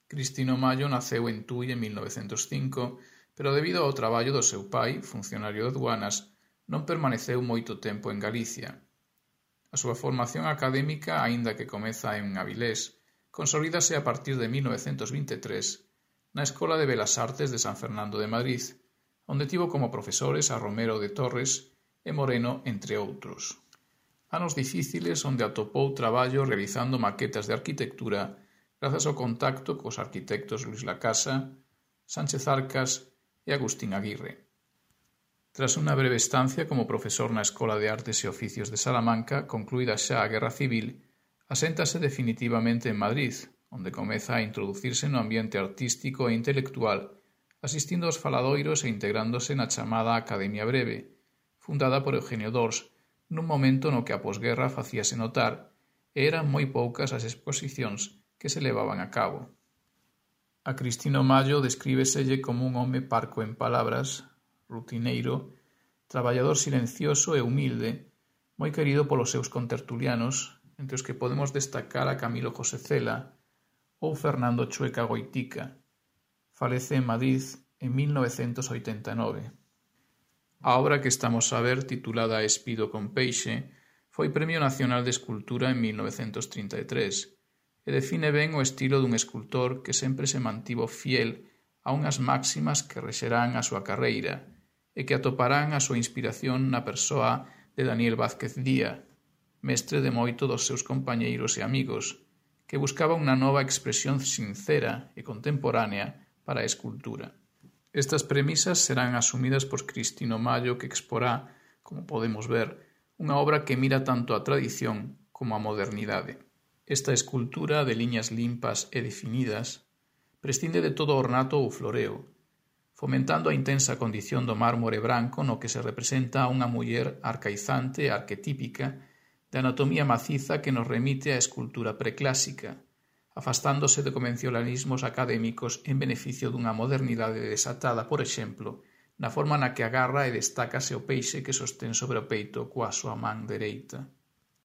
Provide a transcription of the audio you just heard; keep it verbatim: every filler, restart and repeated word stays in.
Cristino Mallo naceu en Tui en mil novecentos e cinco, pero debido ao traballo do seu pai, funcionario de aduanas, non permaneceu moito tempo en Galicia. A súa formación académica, aínda que comeza en Avilés, consolídase a partir de mil novecentos vinte e tres na Escola de Belas Artes de San Fernando de Madrid, onde tivo como profesores a Romero de Torres e Moreno, entre outros. Anos difíciles onde atopou traballo realizando maquetas de arquitectura grazas ao contacto cos arquitectos Luis Lacasa, Sánchez Arcas e Agustín Aguirre. Tras unha breve estancia como profesor na Escola de Artes e Oficios de Salamanca, concluída xa a Guerra Civil, aséntase definitivamente en Madrid, onde comeza a introducirse no ambiente artístico e intelectual, asistindo aos faladoiros e integrándose na chamada Academia Breve, fundada por Eugenio d'Ors, nun momento no que a posguerra facíase notar e eran moi poucas as exposicións que se levaban a cabo. A Cristino Mallo descríbeselle como un home parco en palabras, rutineiro, traballador silencioso e humilde, moi querido polos seus contertulianos, entre os que podemos destacar a Camilo José Cela ou Fernando Chueca Goitica. Falece en Madrid en mil novecentos oitenta e nove. A obra que estamos a ver, titulada Espido con peixe, foi Premio Nacional de Escultura en mil novecentos trinta e tres e define ben o estilo dun escultor que sempre se mantivo fiel a unhas máximas que rexerán a súa carreira e que atoparán a súa inspiración na persoa de Daniel Vázquez Díaz, mestre de moito dos seus compañeiros e amigos, que buscaba unha nova expresión sincera e contemporánea para a escultura. Estas premisas serán asumidas por Cristino Mallo, que exporá, como podemos ver, unha obra que mira tanto a tradición como a modernidade. Esta escultura de liñas limpas e definidas prescinde de todo ornato ou floreo, fomentando a intensa condición do mármore branco no que se representa a unha muller arcaizante e arquetípica de anatomía maciza que nos remite á escultura preclásica, afastándose de convencionalismos académicos en beneficio dunha modernidade desatada, por exemplo, na forma na que agarra e destácase o peixe que sostén sobre o peito coa súa man dereita.